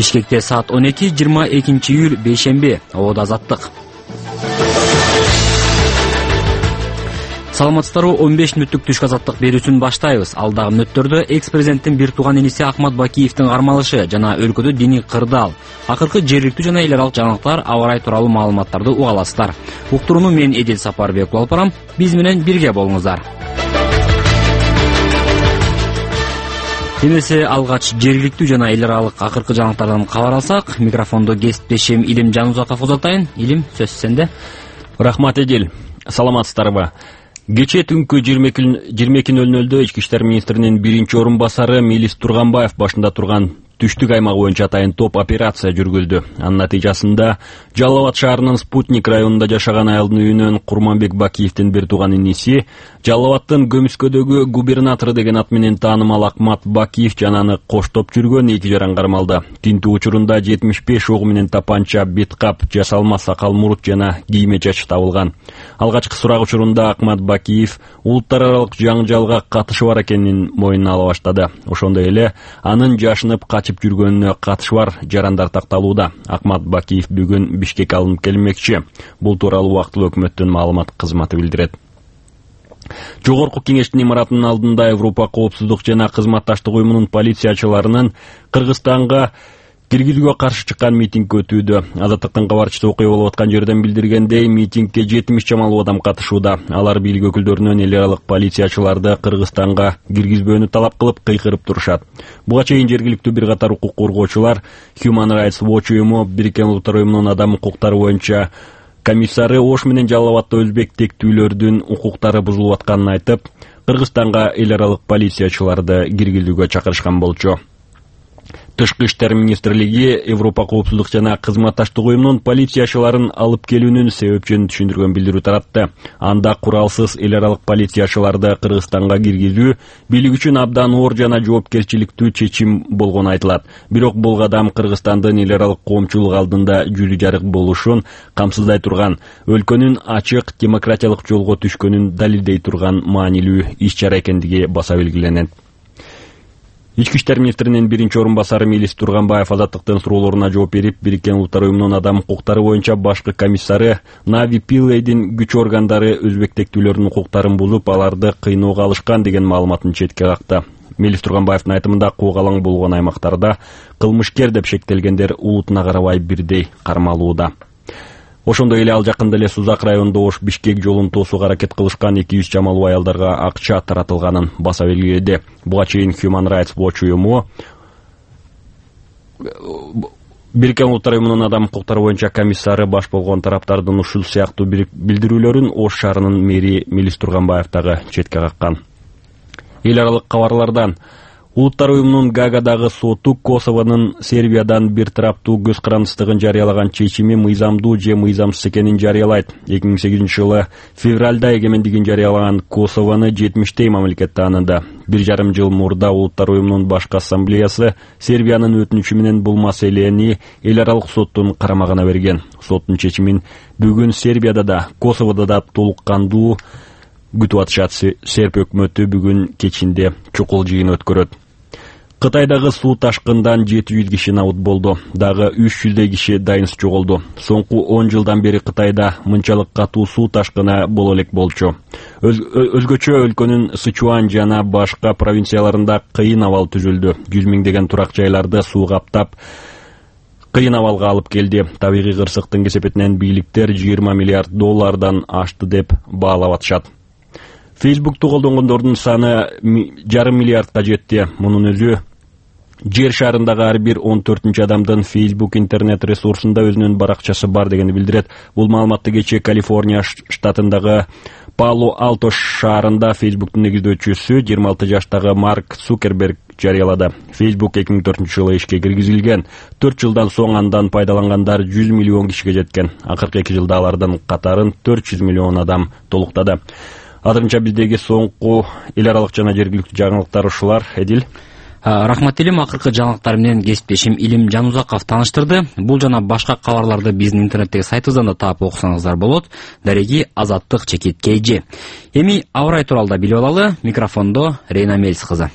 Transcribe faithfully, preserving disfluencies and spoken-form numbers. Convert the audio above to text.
Бишкекте саат он эки жыйырма экинчи июль бейшемби. Ободо Азаттык. Саламатсыздарбы, он беш мүнөттүк түшкү азаттык берүүсүн баштайбыз. Алдагы мүнөттөрдө экс-президенттин бир тууган иниси Акмат Бакиевдин кармалышы жана өлкөдө диний кырдаал, акыркы жергиликтүү жана эл аралык жаңылыктар, аба ырайы тууралуу маалыматтарды уга аласыздар. Уктурууну мен Эдил Сапарбек алып барам. Биз менен бирге болуңуздар. Эмесе алгач жергиликтүү жана эл аралык акыркы жаңылыктардан кабар алсак, микрофондо кесиптешим Илим Жанузаков узатайын. Илим, сөз сенде. Рахмат, Эдил. Саламатсыздарбы? Кечээ түнкү жыйырма эки нөл нөлдө Ички иштер министринин биринчи орун басары Мелис Турганбаев башында турган түштүк аймагы боюнча атайын топ операция жүргүлдү. Анын натыйжасында Жалал Абад шаарынын Спутник районунда жашаган айылдын үйүнөн Курманбек Бакиевдин бир тууган иниси, Жалал Абадтын Көмүскөдөгү губернатору деген ат менен таанымал Акмат Бакиев жана аны коштоп жүргөн эки жаран кармалды. Тинтүү учурунда жетимиш беш ок менен тапанча, беткап, жасалма сакал мурут жана кийме чач табылган. Алгачкы сурак учурунда Акмат Бакиев улуттар аралык жаңжалга катышы бар экенин моюнуна ала баштады. Ошондой эле анын жашынып качып жүргөнүнө катышы бар жарандар такталууда. Акмат Бакиев бүгүн Бишкекке алынып келмекчи. Бул тууралуу убактылуу өкмөттүн маалымат кызматы билдирет. Жогорку кеңештин имаратынын алдында Европа коопсуздук жана кызматташтык уюмунун полициячыларынын Кыргызстанга киргизүүгө каршы чыккан митинг өтүүдө. Азаттыктын кабарчысы окуя болуп аткан жерден билдиргендей, митингке жетимиш чамалуу адам катышууда. Алар бийлик өкүлдөрүнөн эл аралык полициячыларды Кыргызстанга киргизбөөнү талап кылып кыйкырып турушат. Буга чейин жергиликтүү бир катар укук коргоочулар Human Rights Watch уюму Бириккен Улуттар уюмунун адам укуктары боюнча комиссары Ош менен Жалал Абадта өзбек тектүүлөрдүн укуктары бузулуп атканын айтып, Кыргызстанга эл аралык полициячыларды киргизүүгө чакырышкан болчу. Тышкы иштер министрлиги Европа коопсуздук жана кызматташтык уюмунун полициячыларын алып келүүнүн себепчилерин түшүндүргөн билдирүү таратты. Анда куралсыз эл аралык полициячыларды Кыргызстанга киргизүү бийлик үчүн абдан оор жана жоопкерчиликтүү чечим болгону айтылат. Бирок бул кадам Кыргызстандын эл аралык коомчулук алдында жүзү жарык болушун камсыздай турган, өлкөнүн ачык демократиялык жолго түшкөнүн далилдей турган маанилүү иш-чара экендиги баса белгиленет. Ички иштер министринин биринчи орун басары Мелис Турганбаев азаттыктын суроолоруна жооп берип, Бириккен Улуттар уюмунун адам укуктары боюнча башкы комиссары Нави Пиллейдин күч органдары өзбек тектүүлөрүнүн укуктарын бузуп, аларды кыйноого алышкан деген маалыматын четке какты. Мелис Турганбаевдин айтымында куугалаң болгон аймактарда кылмышкер деп шектелгендер улутуна карабай бирдей кармалууда. Ошондой эле ал жакында эле Сузак районунда Ош Бишкек жолун тосууга аракет кылышкан эки жүз чамалуу аялдарга акча таратылганын баса белгиледи. Буга чейин Human Rights Watch уюму Бириккен Улуттар уюмунун адам укуктары боюнча комиссары баш болгон тараптардын ушул сыяктуу билдирүүлөрүн Ош шаарынын мэри Мелис Турганбаев дагы четке каккан. Эл аралык кабарлардан Улуттар уюмунун Гаагадагы соту Косовонун Сербиядан бир тараптуу көз карандысыздыгын жарыялаган чечими мыйзамдуу же мыйзамсыз экенин жарыялайт. эки миң сегизинчи жылы февралда эгемендигин жарыялаган Косовону жетимиштей мамлекет тааныды. Бир жарым жыл мурда Улуттар уюмунун башкы ассамблеясы Сербиянын өтүнүчү менен бул маселени эл аралык соттун карамагына берген. Соттун чечимин бүгүн Сербияда да, Косоводо да толук кандуу күтүп атышат. Серб өкмөтү бүгүн кечинде чукул жыйын өткөрөт. Кытайдагы суу ташкындан жети жүз киши набыт болду. Дагы үч жүздөй киши дайынсыз жоголду. Соңку он жылдан бери Кытайда мынчалык катуу суу ташкыны боло элек болчу. Өз, өзгөчө өлкөнүн Сычуан жана башка провинцияларында кыйын абал түзүлдү. жүз миңдеген турак жайларды суу каптап, кыйын абалга алып келди. Табигый кырсыктын кесепетинен бийликтер жыйырма миллиард доллардан ашты деп баалап атышат. Фейсбукту колдонгондордун саны жарым миллиардка жетти. Мунун өзү жер шарындагы ар бир он төртүнчү адамдын Facebook интернет ресурсунда өзүнүн баракчасы бар дегенди билдирет. Бул маалыматты кечээ Калифорния штатындагы Пало-Алто шаарында Фейсбуктун негиздөөчүсү жыйырма алты жаштагы Марк Цукерберг жарыялады. Facebook эки миң төртүнчү жылы ишке киргизилген. төрт жылдан соң андан пайдалангандар жүз миллион кишиге жеткен. Акыркы эки жылда алардын катарын төрт жүз миллион адам толуктады. Азырынча биздеги соңку эл аралык жана жергиликтүү жаңылыктар ушулар. Эдил. Рахмат Илим, акыркы жаңылыктар менен кесиптешим Илим Жанузаков тааныштырды. Бул жана башка кабарларды биздин интернеттеги сайтыбыздан да таап окусаңыздар болот. Дареги Азаттык чекит кей жи. Эми аба ырайы тууралуу да билип алалы. Микрофондо Рейна Мелис кызы.